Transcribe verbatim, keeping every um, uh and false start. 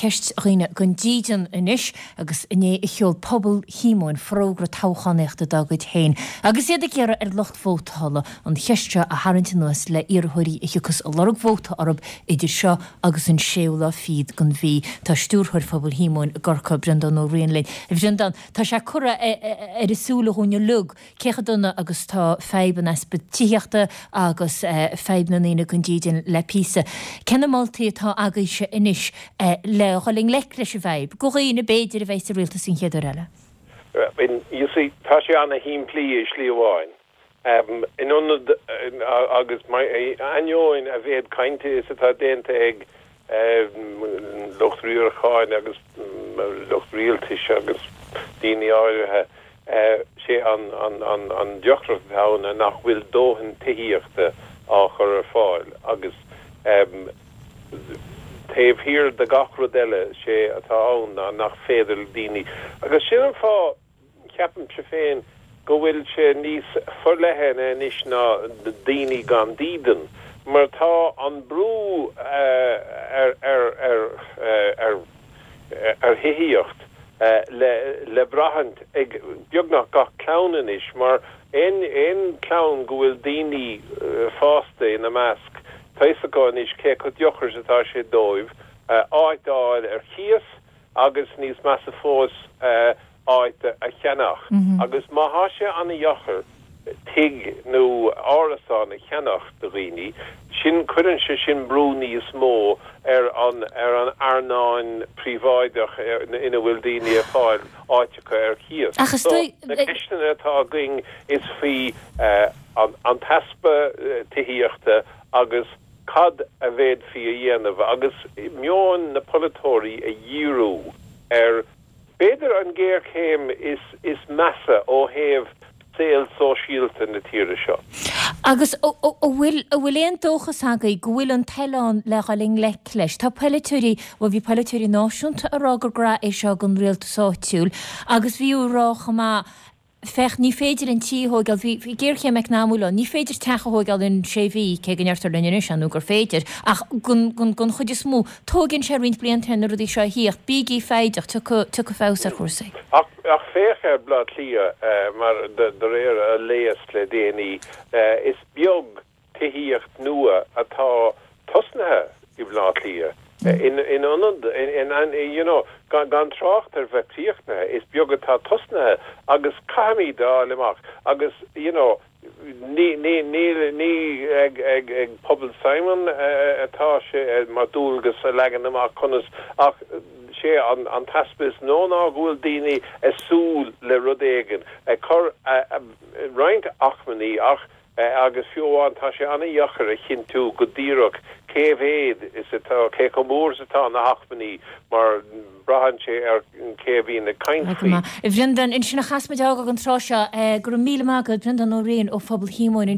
ceist dhaoine gan dídean anois agus inné a sheol Pobal Shíomóin forógra toghchánaíochta dá gcuid féin. Agus iad ag iarraidh ar lucht vótála an cheist seo a tharraingt anuas le iarrthóirí a thiocfas ag lorg vóta orthu idir seo agus an séú lá fichead den mhí. Tá stiúrthóir Phobal Shíomóin i gCorcaigh Breandán Ó Riain linn. A Bhreandáin, tá sé curtha ar a súile dhúinn uilig cé chomh dona agus tá fadhb an easpa tithíochta agus fadhb na ndaoine gan dídean le píosa. Cé na moltaí atá agaibhse anois le dhul i ngleic leis an bhfadhb, do dhaoine b'fhéidir a bheidh sa rialtas an chéad uair eile? You see, tá sé an-shimplí i slí amháin. Um, in ionad agus ainneoin a mhéad cainte is atá déanta ag um, lucht riaracháin agus lucht rialtais agus daoine áirithe uh, sé an, an, an, an deacracht ann nach bhfuil dóthain tithíochta á chur ar fáil agus um, taobh thiar de gach rud eile sé atá ann ná nach féidir daoine. Agus sin an fáth ceapaimse féin go bhfuil sé níos forleithne anois ná daoine gan dídean, mar tá an brú uh, ar ar ar ar ar thithíocht uh, le le brath ag beagnach gach clann anois mar aon aon chlann go bhfuil daoine uh, fásta ina measc tá a fhios acu anois cé chomh deacair atá sé dóibh uh, áit a fháil ar cíos agus níos measa fós uh, áit a cheannach mm -hmm. agus má tá sé an-deacair tigh nó árasán a cheannach do dhaoine sin cuireann sé sin brú níos mó ar an ar an earnáil phríobháideach ina bhfuil daoine ag fáil áiteacha ar cíos. So, na ceisteanna atá againn is faoi uh, an, an t-easpa uh, tithíochta agus cad a bhféadfaí a dhéanamh agus meon na polaiteoirí a dhíriú ar b'fhéidir an géarchéim is is measa ó thaobh saol sóisialta na tíre seo. Agus bhfuil bhfuil aon dóchas agaibh go bhfuil an toil ann le dhul i ngleic leis. Tá polaiteoirí bhuel bhí polaiteoirí náisiúnta ag rá gur gnó é seo don rialtas áitiúil, agus bhí á rá chomh maith féach ní féidir an tí a thógáil bhí géarchéim eacnamaíoch ann, ní féidir teach a thógáil in sé mhí cé go ndeirtear linn anois nó gur féidir ach gon chuid is mó tógann sé roinnt blianta na rudaí seo a thíocht bígí foighdeach tiocfaidh feabhas ar chúrsaí. Ach ach féach ar Bhleá Cliath uh, mar de, de réir a léas le déanaí uh, is beag tithíocht nua atá tosnaithe i Bleá Cliath. In in ionad in, in, in you know gan gan trácht ar bheith críochnaithe is beag atá tosnaithe agus caithfimid a fháil amach agus you know ní ní ní ní ag ag ag Pobal Simon atá sé mar dualgas a leagan amach conas ach sé an an t-easpa is nó ná go bhfuil daoine ag súil le rud éigin ag cur roinnt acmhainní ach agus fiú amháin tá sé an-deacair a chinntiú go díreach cé mhéad is atá cé chomh mór is atá na hacmhainní mar braitheann sé ar cé bhíonn ag caint faoi. Bhreandáin, ansin a chaithfimid fágáil an tráth seo go raibh míle maith agat Breandán Ó Riain ó Phobal Shíomóin.